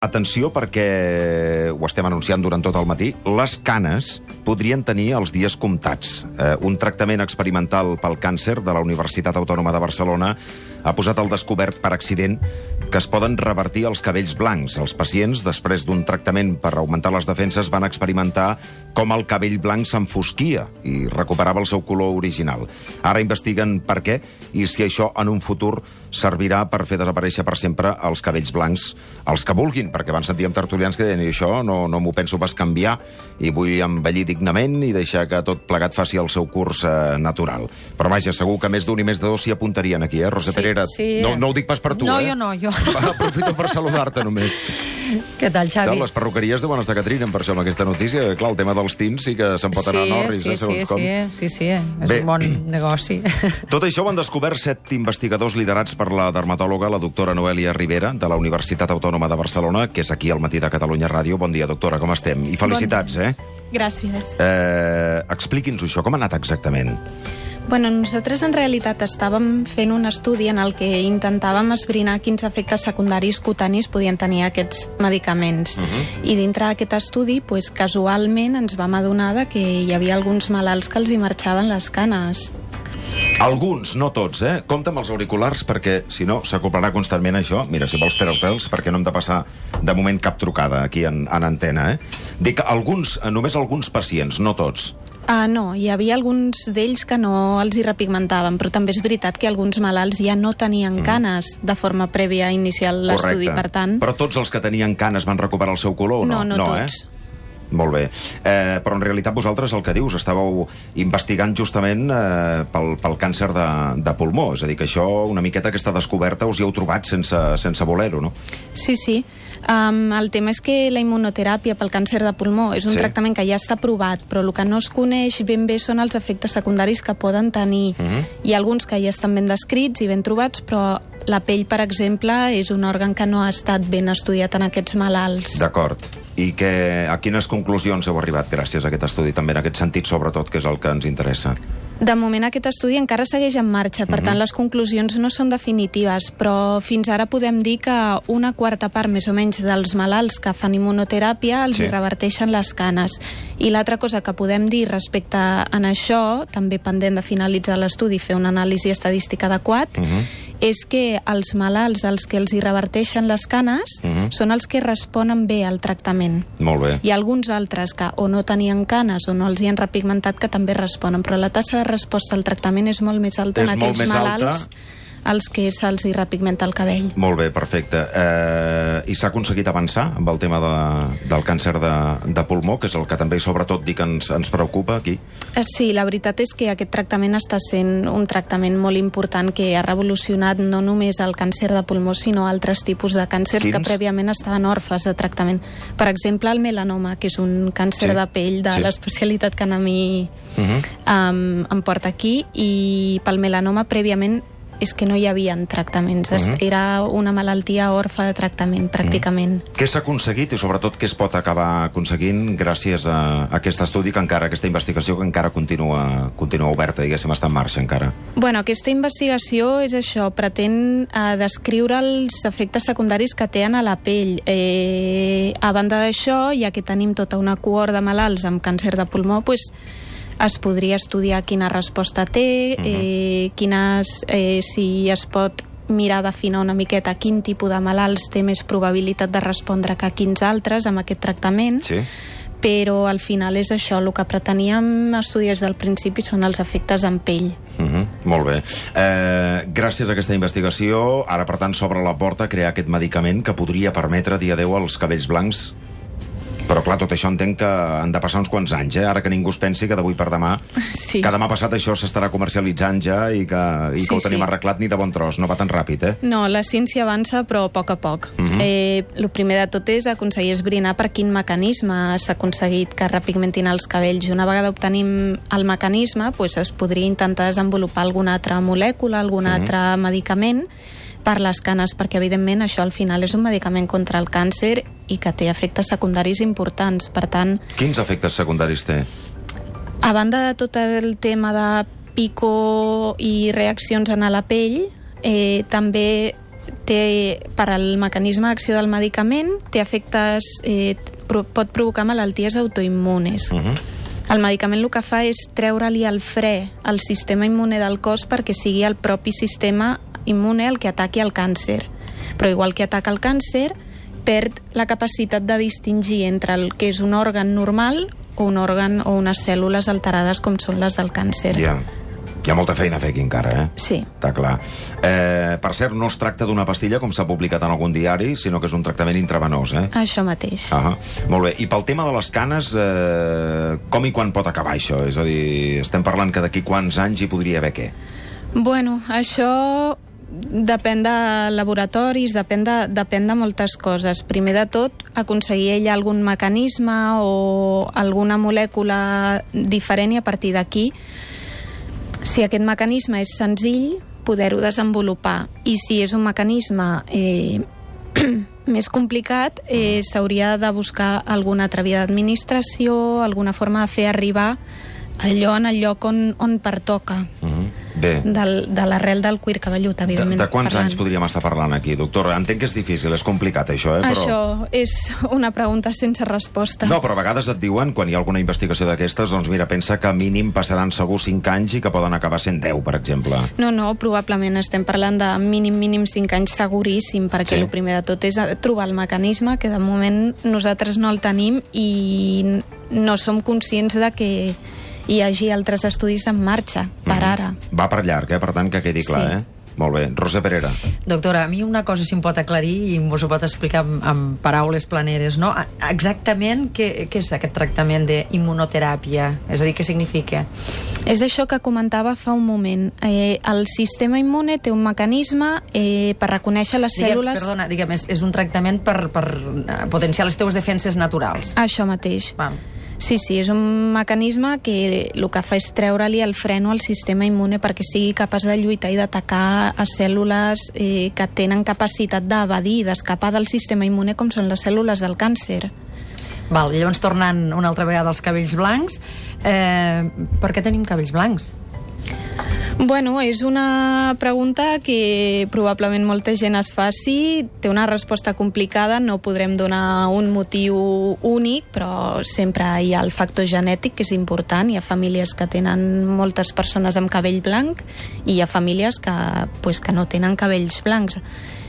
Atenció, perquè ho estem anunciant durant tot el matí, les canes podrien tenir els dies comptats. Un tractament experimental pel càncer de la Universitat Autònoma de Barcelona ha posat al descobert per accident que es poden revertir els cabells blancs. Els pacients, després d'un tractament per augmentar les defenses, van experimentar com el cabell blanc s'enfosquia i recuperava el seu color original. Ara investiguen per què i si això en un futur servirà per fer desaparèixer per sempre els cabells blancs, els que vulguin, perquè van sentir amb tertulians que deien això no m'ho penso pas canviar i vull envellir dignament i deixar que tot plegat faci el seu curs natural. Però vaja, segur que més d'un i més de dos s'hi apuntarien aquí, Rosa Perera? Sí. No ho dic pas per tu, no, jo. Aprofito per saludar-te només. Què tal, Xavi? Les perruqueries deuen estar que trinen per això amb aquesta notícia. Clar, el tema dels tints sí que se'n pot anar a Norris, segons com. Sí, és un bon negoci. Tot això ho han descobert 7 investigadors liderats per la dermatòloga, la doctora Noelia Rivera, de la Universitat Autònoma de Barcelona, que és aquí al Matí de Catalunya Ràdio. Bon dia, doctora, com estem? I felicitats, Gràcies. Expliqui'ns això, com ha anat exactament? Bueno, nosaltres en realitat estàvem fent un estudi en el que intentàvem esbrinar quins efectes secundaris cutanis podien tenir aquests medicaments. I dintre d'aquest estudi, casualment ens vam adonar que hi havia alguns malalts que els hi marxaven les canes. Alguns, no tots, Compte amb els auriculars, perquè, si no, s'acoplarà constantment això. Mira, si vols treu-te'ls, perquè no hem de passar, de moment, cap trucada aquí en antena, Dic, només alguns pacients, no tots. No, hi havia alguns d'ells que no els hi repigmentaven, però també és veritat que alguns malalts ja no tenien canes de forma prèvia a iniciar l'estudi, per tant... Però tots els que tenien canes van recuperar el seu color o no? No tots. Molt bé. Però en realitat vosaltres el que dius, estàveu investigant justament pel càncer de pulmó. És a dir, que això, una miqueta aquesta descoberta, us hi heu trobat sense voler-ho, no? Sí. El tema és que la immunoteràpia pel càncer de pulmó és un tractament que ja està aprovat, però el que no es coneix ben bé són els efectes secundaris que poden tenir. Hi ha alguns que ja estan ben descrits i ben trobats, però la pell, per exemple, és un òrgan que no ha estat ben estudiat en aquests malalts. D'acord. I a quines conclusions heu arribat gràcies a aquest estudi, també en aquest sentit, sobretot, que és el que ens interessa? De moment aquest estudi encara segueix en marxa, per tant les conclusions no són definitives, però fins ara podem dir que una quarta part més o menys dels malalts que fan immunoteràpia els hi reverteixen les canes. I l'altra cosa que podem dir respecte a això, també pendent de finalitzar l'estudi i fer una anàlisi estadística adequat, és que els malalts als que els hi reverteixen les canes són els que responen bé al tractament. Molt bé. Hi ha alguns altres que o no tenien canes o no els hi han repigmentat que també responen, però la tassa de resposta al tractament és molt més alta en aquells malalts als que se'ls hi repigmenta el cabell. Molt bé, perfecte. I s'ha aconseguit avançar amb el tema del càncer de pulmó, que és el que també, sobretot, dic, ens preocupa aquí? Sí, la veritat és que aquest tractament està sent un tractament molt important que ha revolucionat no només el càncer de pulmó, sinó altres tipus de càncers que prèviament estaven orfes de tractament. Per exemple, el melanoma, que és un càncer de pell de l'especialitat que a mi em porta aquí, i pel melanoma prèviament és que no hi havia tractaments. Era una malaltia orfa de tractament, pràcticament. Què s'ha aconseguit i, sobretot, què es pot acabar aconseguint gràcies a aquest estudi, aquesta investigació que encara continua oberta, diguéssim, està en marxa encara? Bueno, aquesta investigació és això, pretén descriure els efectes secundaris que tenen a la pell. A banda d'això, ja que tenim tota una cohort de malalts amb càncer de pulmó, es podria estudiar quina resposta té, si es pot mirar d'afinar una miqueta quin tipus de malalts té més probabilitat de respondre que quins altres amb aquest tractament, però al final és això, el que preteníem estudiar des del principi són els efectes en pell. Molt bé. Gràcies a aquesta investigació, ara per tant s'obre la porta a crear aquest medicament que podria permetre, dia 10, els cabells blancs. Però clar, tot això entenc que han de passar uns quants anys, Ara que ningú es pensi que d'avui per demà, que demà passat això s'estarà comercialitzant ja i que ho tenim arreglat ni de bon tros, no va tan ràpid, No, la ciència avança, però a poc a poc. El primer de tot és aconseguir esbrinar per quin mecanisme s'ha aconseguit que repigmentin els cabells. I una vegada obtenim el mecanisme, es podria intentar desenvolupar alguna altra molècula, algun altre medicament per les canes, perquè evidentment això al final és un medicament contra el càncer i que té efectes secundaris importants, per tant... Quins efectes secundaris té? A banda de tot el tema de pico i reaccions en la pell, també per al mecanisme d'acció del medicament, té efectes, pot provocar malalties autoimmunes. El medicament el que fa és treure-li el fre al sistema immune del cos perquè sigui el propi sistema immune el que ataqui el càncer. Però igual que ataca el càncer, perd la capacitat de distingir entre el que és un òrgan normal o un òrgan o unes cèl·lules alterades com són les del càncer. Hi ha molta feina a fer aquí encara, eh? Sí. Està clar. Per cert, no es tracta d'una pastilla, com s'ha publicat en algun diari, sinó que és un tractament intravenós, eh? Això mateix. Molt bé. I pel tema de les canes, com i quan pot acabar això? És a dir, estem parlant que d'aquí quants anys hi podria haver què? Bueno, això depèn de laboratoris, depèn de moltes coses. Primer de tot, aconseguir ella algun mecanisme o alguna molècula diferent i a partir d'aquí, si aquest mecanisme és senzill, poder-ho desenvolupar. I si és un mecanisme més complicat, s'hauria de buscar alguna altra via d'administració, alguna forma de fer arribar allò en el lloc on pertoca. Bé. De l'arrel del cuir cabellut, evidentment. De quants anys podríem estar parlant aquí, doctora? Entenc que és difícil, és complicat, això, eh? Això és una pregunta sense resposta. No, però a vegades et diuen, quan hi ha alguna investigació d'aquestes, doncs mira, pensa que mínim passaran segur 5 anys i que poden acabar sent 10, per exemple. No, probablement estem parlant de mínim 5 anys seguríssim, perquè el primer de tot és trobar el mecanisme, que de moment nosaltres no el tenim i no som conscients de que hi hagi altres estudis en marxa, per ara. Va per llarg, per tant, que quedi clar, Molt bé. Roser Perera. Doctora, a mi una cosa si em pot aclarir i mos ho pot explicar amb paraules planeres, no? Exactament què és aquest tractament d'immunoteràpia? És a dir, què significa? És això que comentava fa un moment. El sistema immune té un mecanisme per reconèixer les cèl·lules... Diguem, és un tractament per potenciar les teues defenses naturals. Això mateix. Sí, és un mecanisme que el que fa és treure-li el freno al sistema immune perquè sigui capaç de lluitar i d'atacar a cèl·lules que tenen capacitat d'evadir i d'escapar del sistema immune, com són les cèl·lules del càncer. Llavors, tornant una altra vegada als cabells blancs, per què tenim cabells blancs? Bueno, és una pregunta que probablement molta gent es faci. Té una resposta complicada, no podrem donar un motiu únic, però sempre hi ha el factor genètic, que és important. Hi ha famílies que tenen moltes persones amb cabell blanc i hi ha famílies que no tenen cabells blancs.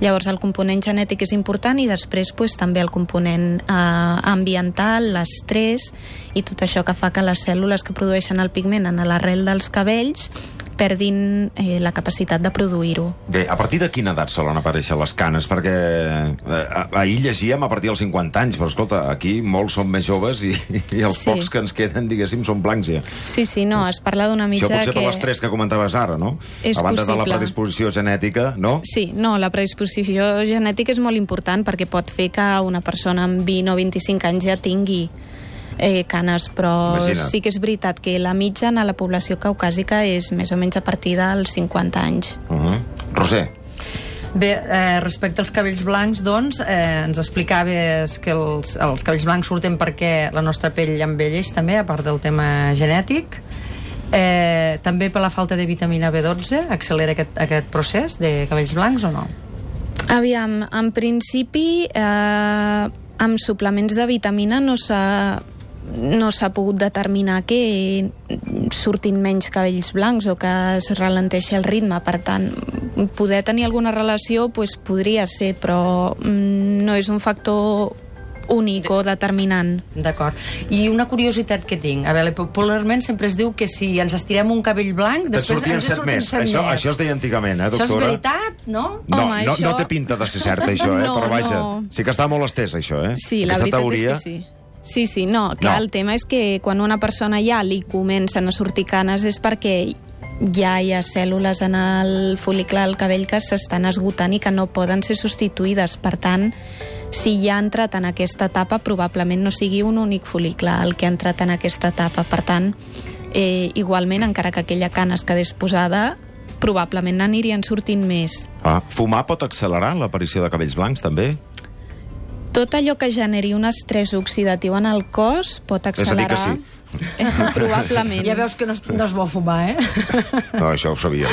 Llavors el component genètic és important i després també el component ambiental, l'estrès i tot això que fa que les cèl·lules que produeixen el pigment en l'arrel dels cabells perdin la capacitat de produir-ho. Bé, a partir de quina edat solen aparèixer les canes? Perquè ahir llegíem a partir dels 50 anys, però escolta, aquí molts són més joves i els pocs que ens queden, diguéssim, són blancs ja. Sí, no, es parla d'una mitja que... Això potser per l'estrès que comentaves ara, no? És a banda possible. De la predisposició genètica, no? Sí, no, la predisposició genètica és molt important perquè pot fer que una persona amb 20 o 25 anys ja tingui canes, però sí que és veritat que la mitjana a la població caucàsica és més o menys a partir dels 50 anys. Roser. Bé, respecte als cabells blancs, doncs, ens explicaves que els cabells blancs surten perquè la nostra pell envelleix també, a part del tema genètic. També per la falta de vitamina B12 accelera aquest procés de cabells blancs o no? Aviam, en principi amb suplements de vitamina no s'ha pogut determinar que surtin menys cabells blancs o que es ralenteixi el ritme. Per tant, poder tenir alguna relació podria ser, però no és un factor únic o determinant. D'acord. I una curiositat que tinc. A veure, popularment sempre es diu que si ens estirem un cabell blanc, després ens surten més. Això es deia antigament, doctora? Això és veritat, no? No té pinta de ser cert, això, però vaja, sí que està molt estès, això, Sí, la veritat és que sí. Sí, no, clar, el tema és que quan una persona ja li comencen a sortir canes és perquè ja hi ha cèl·lules en el fol·licle del cabell que s'estan esgotant i que no poden ser substituïdes. Per tant, si ja ha entrat en aquesta etapa, probablement no sigui un únic fol·licle el que ha entrat en aquesta etapa. Per tant, igualment, encara que aquella cana es quedés posada, probablement n'anirien sortint més. Fumar pot accelerar l'aparició de cabells blancs, també? Tot allò que generi un estrès oxidatiu en el cos pot accelerar... És a dir que sí. Probablement. Ja veus que no es vol fumar, No, això ho sabíem.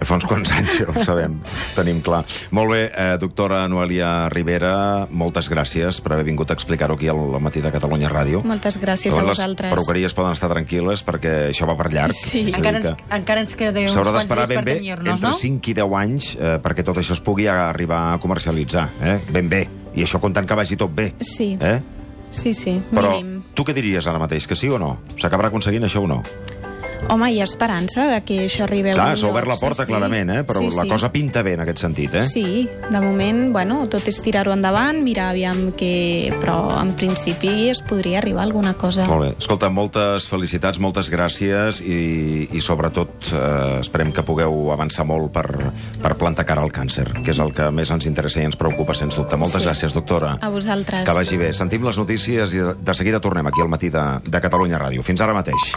Fa uns quants anys ho sabem, tenim clar. Molt bé, doctora Noelia Ribera, moltes gràcies per haver vingut a explicar-ho aquí al Matí de Catalunya Ràdio. Moltes gràcies a vosaltres. Les perruqueries poden estar tranquil·les perquè això va per llarg. Sí. Encara ens queda uns quants dies per tenyir-nos, no? Entre 5 i 10 anys perquè tot això es pugui arribar a comercialitzar. Ben bé. I això comptant que vagi tot bé. Sí. Sí, Però mínim. tu què diries ara mateix, que sí o no? S'acabarà aconseguint això o no? Home, hi ha esperança de que això arribi a Clar, s'ha obert la porta, clarament, però la cosa pinta bé en aquest sentit, Sí, de moment, tot és tirar-ho endavant, mirar aviam què... Però, en principi, es podria arribar a alguna cosa. Molt bé. Escolta, moltes felicitats, moltes gràcies i sobretot, esperem que pugueu avançar molt per plantar cara al càncer, que és el que més ens interessa i ens preocupa, sens dubte. Moltes gràcies, doctora. A vosaltres. Que vagi bé. Sentim les notícies i de seguida tornem aquí al Matí de Catalunya Ràdio. Fins ara mateix.